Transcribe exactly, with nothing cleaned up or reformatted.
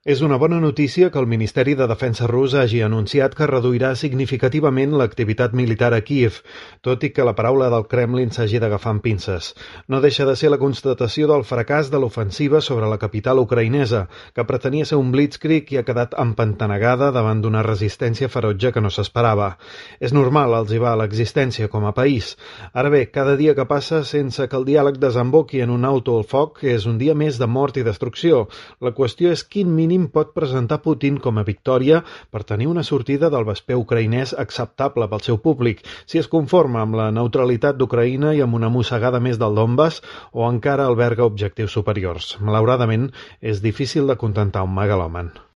És una bona notícia que el Ministeri de Defensa rus hagi anunciat que reduirà significativament l'activitat militar a Kíev, tot i que la paraula del Kremlin s'hagi d'agafar amb pinces. No deixa de ser la constatació del fracàs de l'ofensiva sobre la capital ucraïnesa, que pretenia ser un blitzkrieg i ha quedat empantanegada davant d'una resistència ferotge que no s'esperava. És normal, els hi va l'existència com a país. Ara bé, cada dia que passa sense que el diàleg desemboqui en un auto al foc és un dia més de mort i destrucció. La qüestió és quin mínim pot presentar Putin com a victòria per tenir una sortida del vesper ucraïnès acceptable pel seu públic, si es conforma amb la neutralitat d'Ucraïna i amb una mossegada més del Donbass o encara alberga objectius superiors. Malauradament, és difícil de contentar un megalòman.